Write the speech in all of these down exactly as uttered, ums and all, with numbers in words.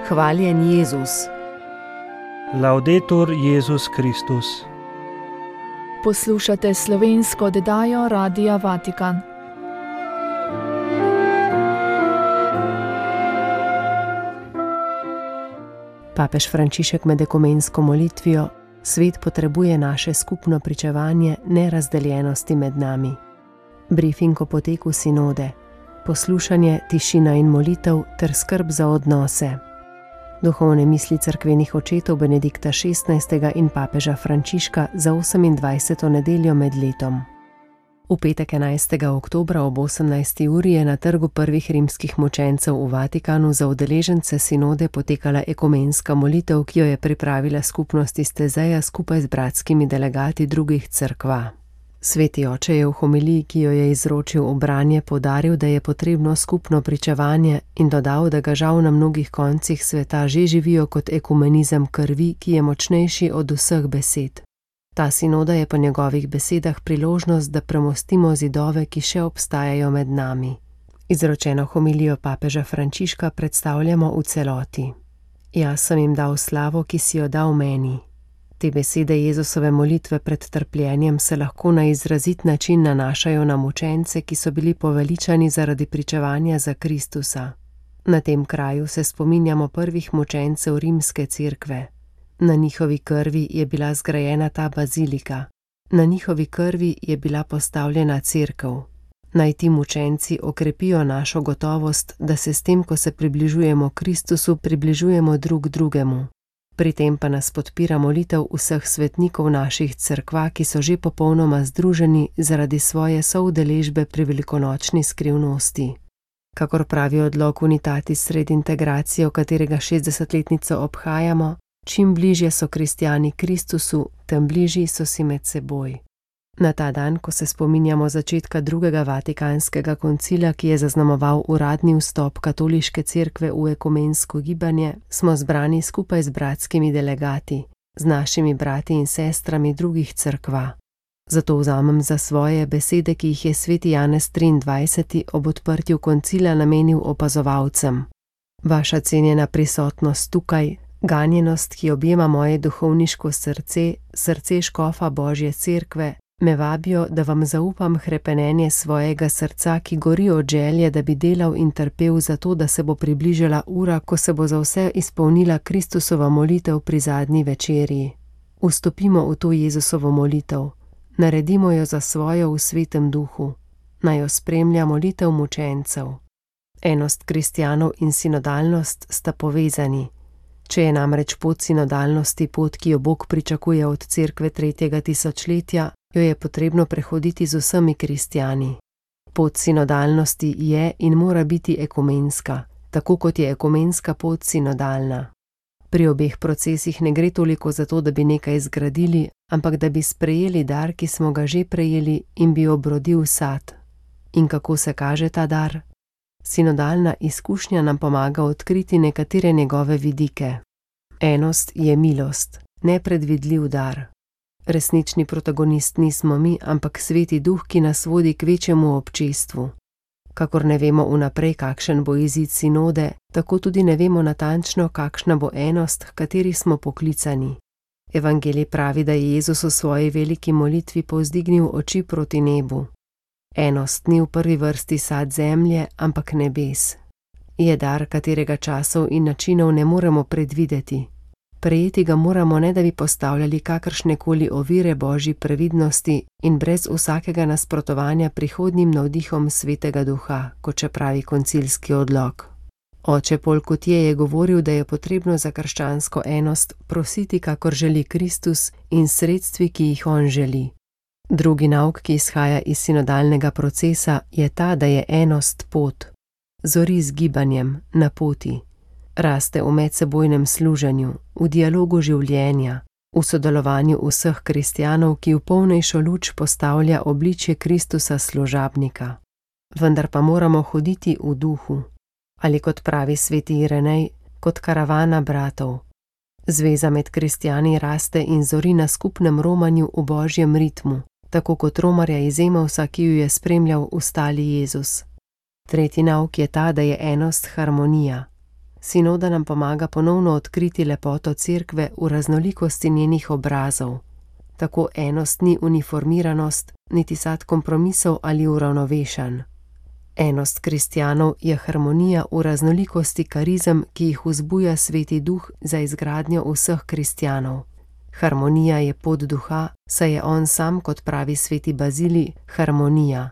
Hvaljen Jezus. Laudetur Jezus Kristus. Poslušate slovensko oddajo Radia Vatikan. Papež Frančišek med ekumensko molitvijo: svet potrebuje naše skupno pričevanje nerazdeljenosti med nami. Brifing o poteku sinode, poslušanje, tišina in molitev ter skrb za odnose. Duhovne misli cerkvenih očetov Benedikta šestnajstega in papeža Frančiška za osemindvajseto nedeljo med letom. V petek enajstega oktobra ob osemnajsti uri je na trgu prvih rimskih mučencev v Vatikanu za udeležence sinode potekala ekumenska molitev, ki jo je pripravila skupnost iz Tezeja skupaj z bratskimi delegati drugih cerkva. Sveti oče je v homiliji, ki jo je izročil v branje, poudaril, da je potrebno skupno pričevanje in dodal, da ga žal na mnogih koncih sveta že živijo kot ekumenizem krvi, ki je močnejši od vseh besed. Ta sinoda je po njegovih besedah priložnost, da premostimo zidove, ki še obstajajo med nami. Izročeno homilijo papeža Frančiška predstavljamo v celoti. Jaz sem jim dal slavo, ki si jo dal meni. Te besede Jezusove molitve pred trpljenjem se lahko na izrazit način nanašajo na mučence, ki so bili poveličani zaradi pričevanja za Kristusa. Na tem kraju se spominjamo prvih mučencev rimske cerkve. Na njihovi krvi je bila zgrajena ta bazilika. Na njihovi krvi je bila postavljena cerkev. Naj ti mučenci okrepijo našo gotovost, da se s tem, ko se približujemo Kristusu, približujemo drug drugemu. Pri tem pa nas podpira molitev vseh svetnikov naših cerkva, ki so že popolnoma združeni zaradi svoje soudeležbe pri velikonočni skrivnosti. Kakor pravi odlok Unitatis Redintegratio, katerega šestdesetletnico obhajamo, čim bližje so kristjani Kristusu, tem bližji so si med seboj. Na ta dan, ko se spominjamo začetka drugega vatikanskega koncila, ki je zaznamoval uradni vstop katoliške cerkve v ekumensko gibanje, smo zbrani skupaj z bratskimi delegati, z našimi brati in sestrami drugih cerkva. Zato vzamem za svoje besede, ki jih je sveti Janez triindvajseti ob odprtju koncila namenil opazovalcem. Vaša cenjena prisotnost tukaj, ganjenost, ki objema moje duhovniško srce, srce škofa Božje cerkve, me vabijo, da vam zaupam hrepenenje svojega srca, ki gori od želje, da bi delal in trpel za to, da se bo približala ura, ko se bo za vse izpolnila Kristusova molitev pri zadnji večerji. Vstopimo v to Jezusovo molitev, naredimo jo za svojo v svetem duhu, naj jo spremlja molitev mučencev. Enost kristjanov in sinodalnost sta povezani. Če je namreč pot sinodalnosti pot, ki jo Bog pričakuje od cerkve tretjega tisočletja, jo je potrebno prehoditi z vsemi kristjani. Pot sinodalnosti je in mora biti ekumenska, tako kot je ekumenska pot sinodalna. Pri obeh procesih ne gre toliko za to, da bi nekaj zgradili, ampak da bi sprejeli dar, ki smo ga že prejeli in bi obrodil sad. In kako se kaže ta dar? Sinodalna izkušnja nam pomaga odkriti nekatere njegove vidike. Enost je milost, nepredvidljiv dar. Resnični protagonist nismo mi, ampak sveti duh, ki nas vodi k večjemu občestvu. Kakor ne vemo vnaprej, kakšen bo izid sinode, tako tudi ne vemo natančno, kakšna bo enost, h kateri smo poklicani. Evangelij pravi, da je Jezus v svoji veliki molitvi povzdignil oči proti nebu. Enost ni v prvi vrsti sad zemlje, ampak nebes. Je dar, katerega časov in načinov ne moremo predvideti. Prejeti ga moramo, ne da bi postavljali kakršnekoli ovire Božji previdnosti in brez vsakega nasprotovanja prihodnjim navdihom Svetega Duha, kot še pravi koncilski odlok. Oče Pol Kutje je govoril, da je potrebno za krščansko enost prositi, kakor želi Kristus, in sredstvi, ki jih on želi. Drugi nauk, ki izhaja iz sinodalnega procesa, je ta, da je enost pot. Zori z gibanjem, na poti. Raste v medsebojnem služenju, v dialogu življenja, v sodelovanju vseh kristjanov, ki v polnejšo luč postavlja obličje Kristusa služabnika. Vendar pa moramo hoditi v duhu. Ali kot pravi sveti Irenej, kot karavana bratov. Zveza med kristjani raste in zori na skupnem romanju v Božjem ritmu, tako kot romarja iz Emausa, ki ju je spremljal ustali Jezus. Tretji nauk je ta, da je enost harmonija. Sinoda nam pomaga ponovno odkriti lepoto cerkve v raznolikosti njenih obrazov. Tako enost ni uniformiranost, niti sad kompromisov ali uravnovešan. Enost kristjanov je harmonija v raznolikosti karizem, ki jih vzbuja Sveti Duh za izgradnjo vseh kristjanov. Harmonija je pot duha, saj je on sam, kot pravi sveti Bazilij, harmonija.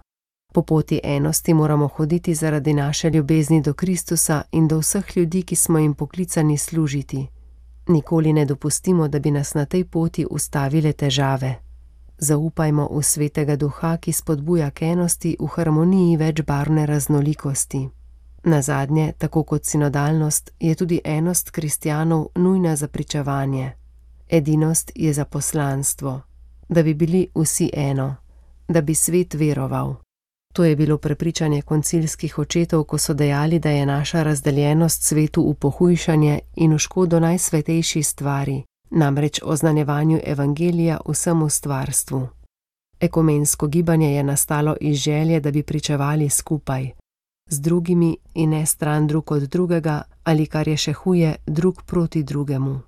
Po poti enosti moramo hoditi zaradi naše ljubezni do Kristusa in do vseh ljudi, ki smo jim poklicani služiti. Nikoli ne dopustimo, da bi nas na tej poti ustavile težave. Zaupajmo v Svetega Duha, ki spodbuja k enosti v harmoniji večbarvne raznolikosti. Nazadnje, tako kot sinodalnost, je tudi enost kristjanov nujna za pričevanje. Edinost je za poslanstvo, da bi bili vsi eno, da bi svet veroval. To je bilo prepričanje koncilskih očetov, ko so dejali, da je naša razdeljenost svetu v pohujšanje in v škodo najsvetejši stvari, namreč oznanjevanju evangelija vsemu stvarstvu. Ekumensko gibanje je nastalo iz želje, da bi pričevali skupaj, z drugimi in ne stran drug od drugega ali, kar je še huje, drug proti drugemu.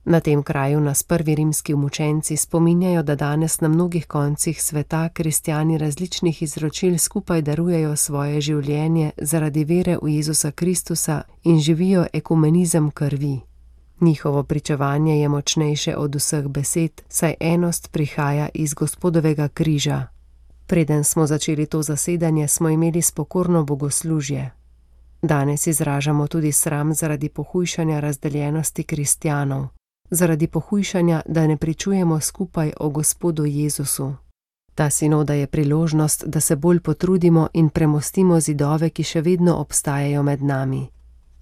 Na tem kraju nas prvi rimski mučenci spominjajo, da danes na mnogih koncih sveta kristjani različnih izročil skupaj darujejo svoje življenje zaradi vere v Jezusa Kristusa in živijo ekumenizem krvi. Njihovo pričevanje je močnejše od vseh besed, saj enost prihaja iz Gospodovega križa. Preden smo začeli to zasedanje, smo imeli spokorno bogoslužje. Danes izražamo tudi sram zaradi pohujšanja razdeljenosti kristjanov, zaradi pohujšanja, da ne pričujemo skupaj o Gospodu Jezusu. Ta sinoda je priložnost, da se bolj potrudimo in premostimo zidove, ki še vedno obstajajo med nami.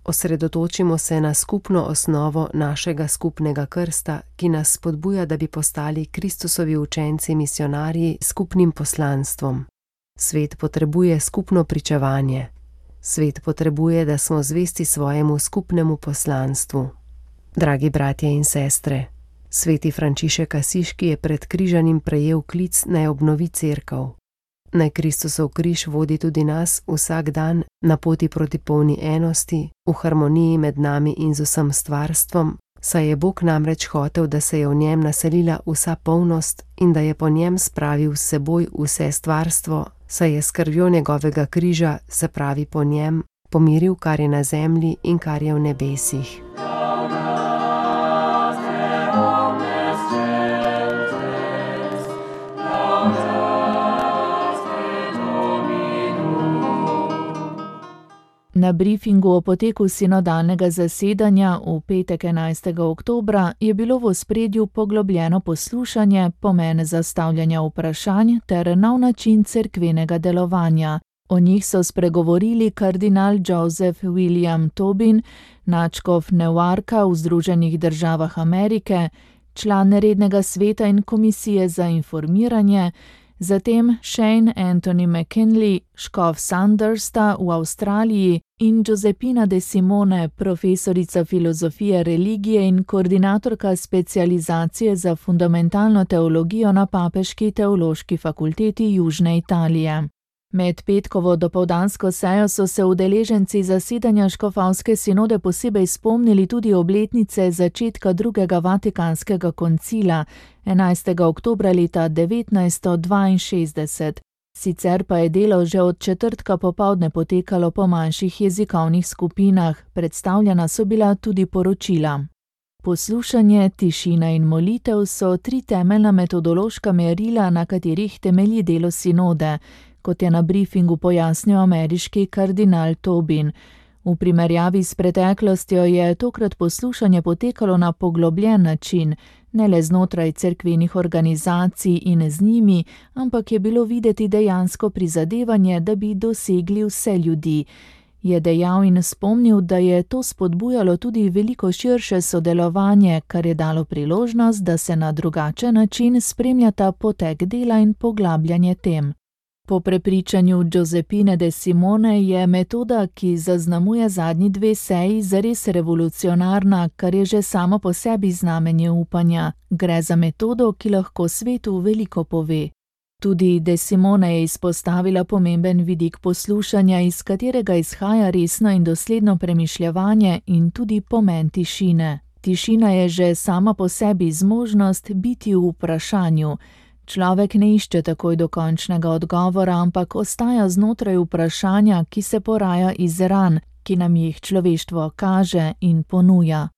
Osredotočimo se na skupno osnovo našega skupnega krsta, ki nas spodbuja, da bi postali Kristusovi učenci misionarji s skupnim poslanstvom. Svet potrebuje skupno pričevanje. Svet potrebuje, da smo zvesti svojemu skupnemu poslanstvu. Dragi bratje in sestre, sveti Frančišek Asiški je pred križanjem prejel klic, naj obnovi cerkev. Naj Kristusov križ vodi tudi nas vsak dan na poti proti polni enosti, v harmoniji med nami in z vsem stvarstvom, saj je Bog namreč hotel, da se je v njem naselila vsa polnost in da je po njem spravil s seboj vse stvarstvo, saj je s krvjo njegovega križa, se pravi po njem, pomiril, kar je na zemlji in kar je v nebesih. Na briefingu o poteku sinodalnega zasedanja v petek enajstega oktobra je bilo v ospredju poglobljeno poslušanje, pomen zastavljanja vprašanj ter nov način cerkvenega delovanja. O njih so spregovorili kardinal Joseph William Tobin, nadškof Newarka v Združenih državah Amerike, član rednega sveta in komisije za informiranje, zatem Shane Anthony McKinley, škof Sandersta v Avstraliji in Giuseppina De Simone, profesorica filozofije religije in koordinatorka specializacije za fundamentalno teologijo na Papeški teološki fakulteti Južne Italije. Med petkovo dopoldansko sejo so se udeleženci zasedanja škofovske sinode posebej spomnili tudi obletnice začetka drugega vatikanskega koncila, enajstega oktobra leta devetnajststo dvainšestdeset. Sicer pa je delo že od četrtka popoldne potekalo po manjših jezikovnih skupinah, predstavljena so bila tudi poročila. Poslušanje, tišina in molitev so tri temeljna metodološka merila, na katerih temelji delo sinode, kot je na briefingu pojasnil ameriški kardinal Tobin. V primerjavi s preteklostjo je tokrat poslušanje potekalo na poglobljen način, ne le znotraj cerkvenih organizacij in z njimi, ampak je bilo videti dejansko prizadevanje, da bi dosegli vse ljudi. Je dejal in spomnil, da je to spodbujalo tudi veliko širše sodelovanje, kar je dalo priložnost, da se na drugačen način spremljata potek dela in poglabljanje tem. Po prepričanju Giuseppine De Simone je metoda, ki zaznamuje zadnji dve seji, zares revolucionarna, kar je že samo po sebi znamenje upanja. Gre za metodo, ki lahko svetu veliko pove. Tudi De Simone je izpostavila pomemben vidik poslušanja, iz katerega izhaja resno in dosledno premišljevanje in tudi pomen tišine. Tišina je že sama po sebi zmožnost biti v vprašanju. Človek ne išče takoj dokončnega odgovora, ampak ostaja znotraj vprašanja, ki se poraja iz ran, ki nam jih človeštvo kaže in ponuja.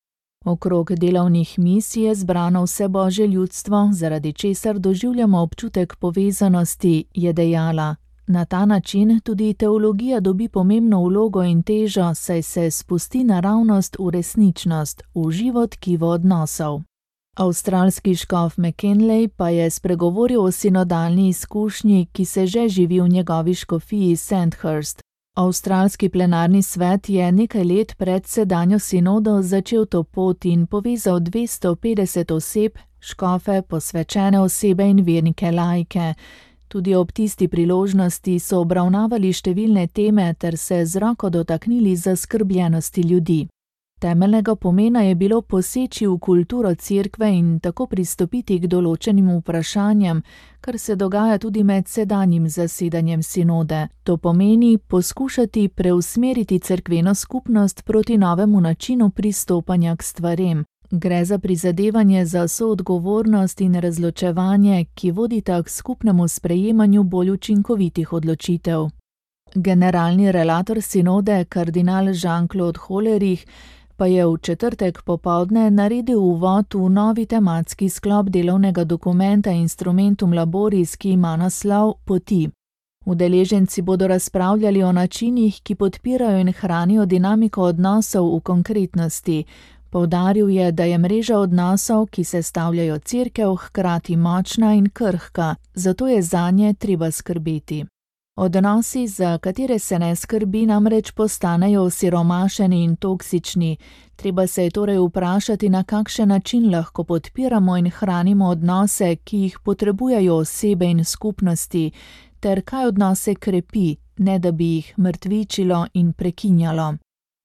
Okrog delovnih misij je zbrano vse Božje ljudstvo, zaradi česar doživljamo občutek povezanosti, je dejala. Na ta način tudi teologija dobi pomembno vlogo in težo, saj se spusti naravnost v resničnost, v živo tkivo odnosov. Avstralski škof McKinley pa je spregovoril o sinodalni izkušnji, ki se že živi v njegovi škofiji Sandhurst. Avstralski plenarni svet je nekaj let pred sedanjo sinodo začel to pot in povezal dvesto petdeset oseb, škofe, posvečene osebe in vernike laike. Tudi ob tisti priložnosti so obravnavali številne teme ter se z roko dotaknili zaskrbljenosti ljudi. Temeljnega pomena je bilo poseči v kulturo cerkve in tako pristopiti k določenim vprašanjem, kar se dogaja tudi med sedanjim zasedanjem sinode. To pomeni poskušati preusmeriti cerkveno skupnost proti novemu načinu pristopanja k stvarem. Gre za prizadevanje za soodgovornost in razločevanje, ki vodita k skupnemu sprejemanju bolj učinkovitih odločitev. Generalni relator sinode, kardinal Jean-Claude Hollerich, pa je v četrtek popoldne naredil uvod v novi tematski sklop delovnega dokumenta Instrumentum Laboris, ki ima naslov Poti. Udeleženci bodo razpravljali o načinih, ki podpirajo in hranijo dinamiko odnosov v konkretnosti. Poudaril je, da je mreža odnosov, ki sestavljajo cerkev, hkrati močna in krhka, zato je zanje treba skrbeti. Odnosi, za katere se ne skrbi, namreč postanejo osiromašeni in toksični. Treba se je torej vprašati, na kakšen način lahko podpiramo in hranimo odnose, ki jih potrebujejo osebe in skupnosti, ter kaj odnose krepi, ne da bi jih mrtvičilo in prekinjalo.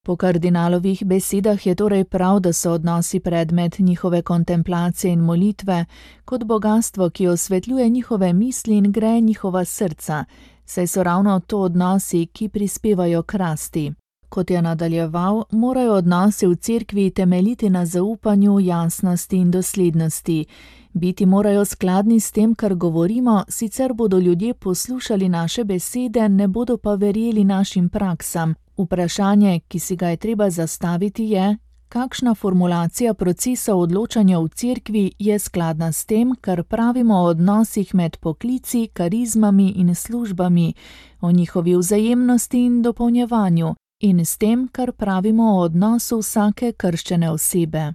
Po kardinalovih besedah je torej prav, da so odnosi predmet njihove kontemplacije in molitve, kot bogastvo, ki osvetljuje njihove misli in greje njihova srca, saj so ravno to odnosi, ki prispevajo k rasti. Kot je nadaljeval, morajo odnosi v cerkvi temeljiti na zaupanju, jasnosti in doslednosti. Biti morajo skladni s tem, kar govorimo, sicer bodo ljudje poslušali naše besede, ne bodo pa verjeli našim praksam. Vprašanje, ki si ga je treba zastaviti, je, kakšna formulacija procesa odločanja v cerkvi je skladna s tem, kar pravimo o odnosih med poklici, karizmami in službami, o njihovi vzajemnosti in dopolnjevanju, in s tem, kar pravimo o odnosu vsake krščene osebe.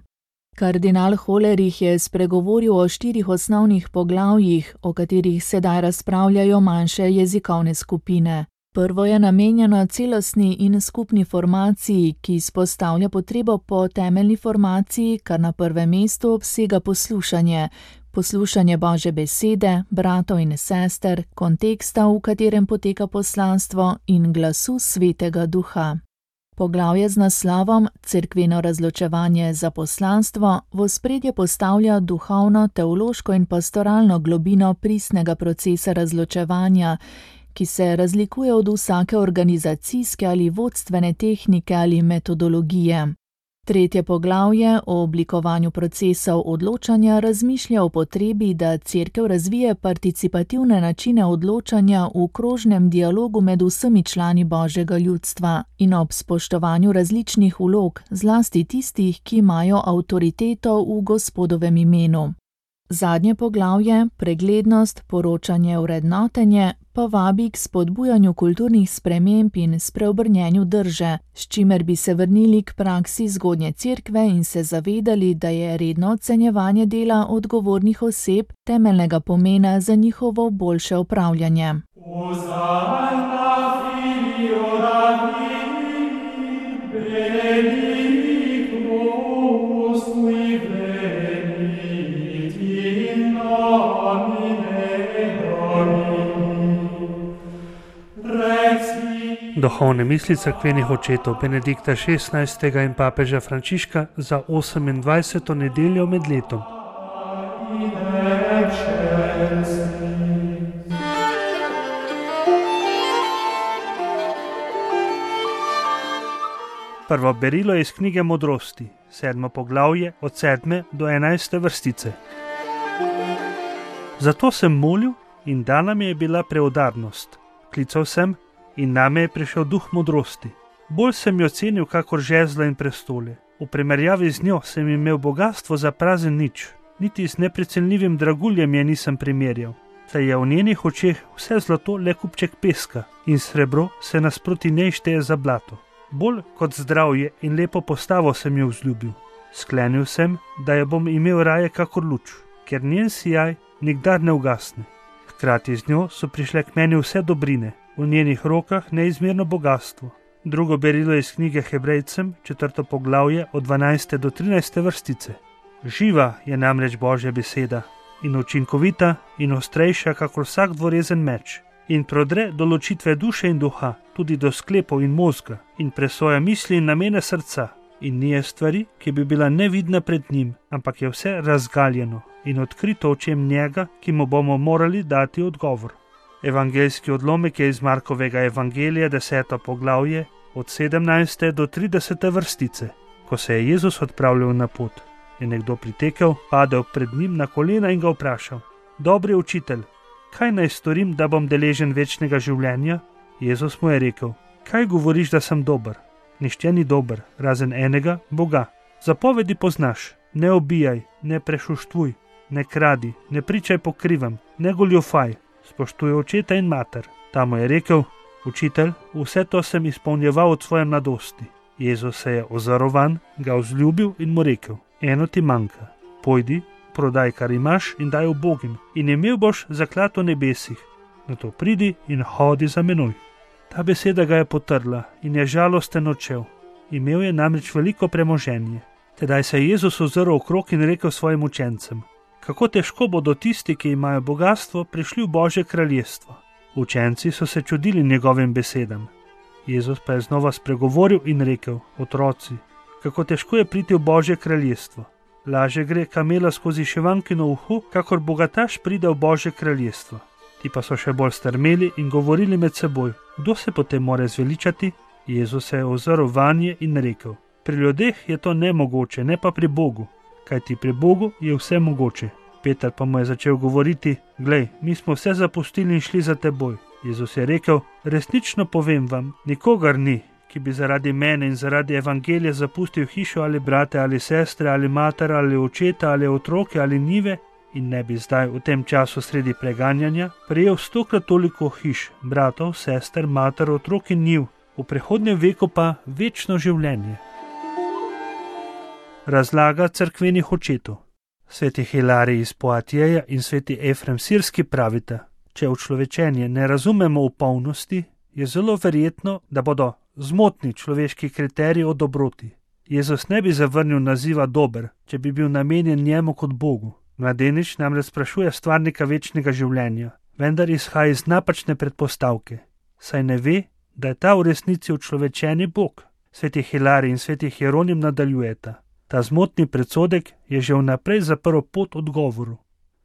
Kardinal Hollerich je spregovoril o štirih osnovnih poglavjih, o katerih sedaj razpravljajo manjše jezikovne skupine. Prvo je namenjeno celostni in skupni formaciji, ki izpostavlja potrebo po temeljni formaciji, kar na prvem mestu obsega poslušanje. Poslušanje Božje besede, bratov in sester, konteksta, v katerem poteka poslanstvo, in glasu Svetega Duha. Poglavje z naslovom Cerkveno razločevanje za poslanstvo v ospredje postavlja duhovno, teološko in pastoralno globino pristnega procesa razločevanja, ki se razlikuje od vsake organizacijske ali vodstvene tehnike ali metodologije. Tretje poglavje o oblikovanju procesov odločanja razmišlja o potrebi, da cerkev razvije participativne načine odločanja v krožnem dialogu med vsemi člani Božjega ljudstva in ob spoštovanju različnih vlog, zlasti tistih, ki imajo avtoriteto v Gospodovem imenu. Zadnje poglavje, preglednost, poročanje, vrednotenje, pa vabi k spodbujanju kulturnih sprememb in spreobrnjenju drže, s čimer bi se vrnili k praksi zgodnje cerkve in se zavedali, da je redno ocenjevanje dela odgovornih oseb temeljnega pomena za njihovo boljše upravljanje. Duhovne misli cerkvenih očetov Benedikta šestnajstega in papeža Frančiška za osemindvajseto nedeljo med letom. Prvo berilo je iz knjige Modrosti, sedmo poglavje od sedme do enajste vrstice. Zato sem molil in dana mi je bila preudarnost. Klical sem in name je prišel duh modrosti. Bolj sem jo cenil kakor žezla in prestole. V primerjavi z njo sem imel bogastvo za prazen nič. Niti s neprecenljivim draguljem je nisem primerjal. Saj je v njenih očeh vse zlato le kupček peska in srebro se nasproti njej šteje za blato. Bolj kot zdravje in lepo postavo sem jo vzljubil. Sklenil sem, da jo bom imel raje kakor luč, ker njen sijaj nikdar ne ugasne. Hkrati z njo so prišle k meni vse dobrine, v njenih rokah neizmerno bogastvo. Drugo berilo iz knjige Hebrejcem, četrto poglavje od dvanajste do trinajste vrstice. Živa je namreč Božja beseda in učinkovita in ostrejša kakor vsak dvorezen meč in prodre do ločitve duše in duha, tudi do sklepov in mozga in presoja misli in namene srca in nije stvari, ki bi bila nevidna pred njim, ampak je vse razgaljeno in odkrito očem njega, ki mu bomo morali dati odgovor. Evangeljski odlomek je iz Markovega evangelija, deseto poglavje, od sedemnajste do tridesete vrstice. Ko se je Jezus odpravljal na pot, je nekdo pritekel, padel pred njim na kolena in ga vprašal: Dobri učitelj, kaj naj storim, da bom deležen večnega življenja? Jezus mu je rekel: Kaj govoriš, da sem dober? Nihče ni dober, razen enega, Boga. Zapovedi poznaš: ne ubijaj, ne prešuštvuj, ne kradi, ne pričaj po krivem, ne goljufaj, spoštuj očeta in mater. Ta mu je rekel: Učitelj, vse to sem izpolnjeval od svoje mladosti. Jezus se je ozorovan, ga vzljubil in mu rekel: Eno ti manjka, pojdi, prodaj, kar imaš in daj ubogim, in imel boš zaklad v nebesih. Nato pridi in hodi za menoj. Ta beseda ga je potrla in je žalosten odšel. Imel je namreč veliko premoženje. Tedaj se je Jezus ozrl okrog in rekel svojim učencem: Kako težko bodo tisti, ki imajo bogastvo, prišli v Božje kraljestvo. Učenci so se čudili njegovim besedam. Jezus pa je znova spregovoril in rekel: Otroci, kako težko je priti v Božje kraljestvo. Laže gre kamela skozi šivankino uho, kakor bogataš pride v Božje kraljestvo. Ti pa so še bolj strmeli in govorili med seboj: Kdo se potem more zveličati? Jezus se je ozrl vanje in rekel: Pri ljudeh je to nemogoče, ne pa pri Bogu, kajti pri Bogu je vse mogoče. Peter pa mu je začel govoriti: Glej, mi smo vse zapustili in šli za teboj. Jezus je rekel: Resnično povem vam, nikogar ni, ki bi zaradi mene in zaradi evangelija zapustil hišo ali brate ali sestre ali mater ali očeta ali otroke ali njive in ne bi zdaj v tem času sredi preganjanja prejel stokrat toliko hiš, bratov, sester, mater, otrok in njiv, v prihodnjem veku pa večno življenje. Razlaga cerkvenih očetov. Sveti Hilarij iz Poatjeja in sveti Efrem Sirski pravita: Če učlovečenje ne razumemo v polnosti, je zelo verjetno, da bodo zmotni človeški kriteriji o dobroti. Jezus ne bi zavrnil naziva dober, če bi bil namenjen njemu kot Bogu. Mladenič namreč sprašuje stvarnika večnega življenja, vendar izhaja iz napačne predpostavke, saj ne ve, da je ta v resnici učlovečeni Bog. Sveti Hilarij in sveti Hieronim nadaljujeta: Ta zmotni predsodek je že vnaprej zaprl pot odgovoru.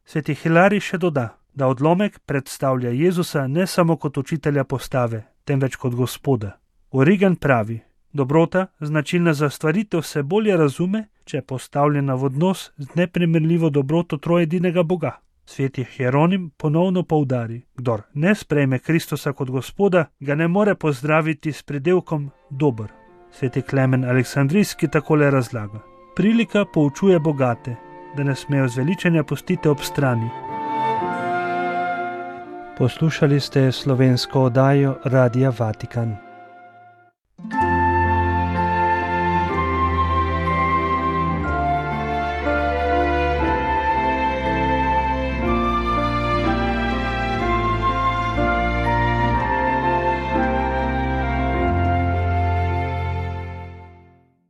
Sveti Hilarij še doda, da odlomek predstavlja Jezusa ne samo kot učitelja postave, temveč kot Gospoda. Origen pravi: Dobrota, značilna za stvaritev, se bolje razume, če je postavljena v odnos z neprimerljivo dobroto trojedinega Boga. Sveti Hieronim ponovno poudari: Kdor ne sprejme Kristusa kot Gospoda, ga ne more pozdraviti s pridelkom dober. Sveti Klemen Aleksandrijski takole razlaga: Prilika poučuje bogate, da ne smejo zveličanja pustiti ob strani. Poslušali ste slovensko oddajo Radia Vatikan.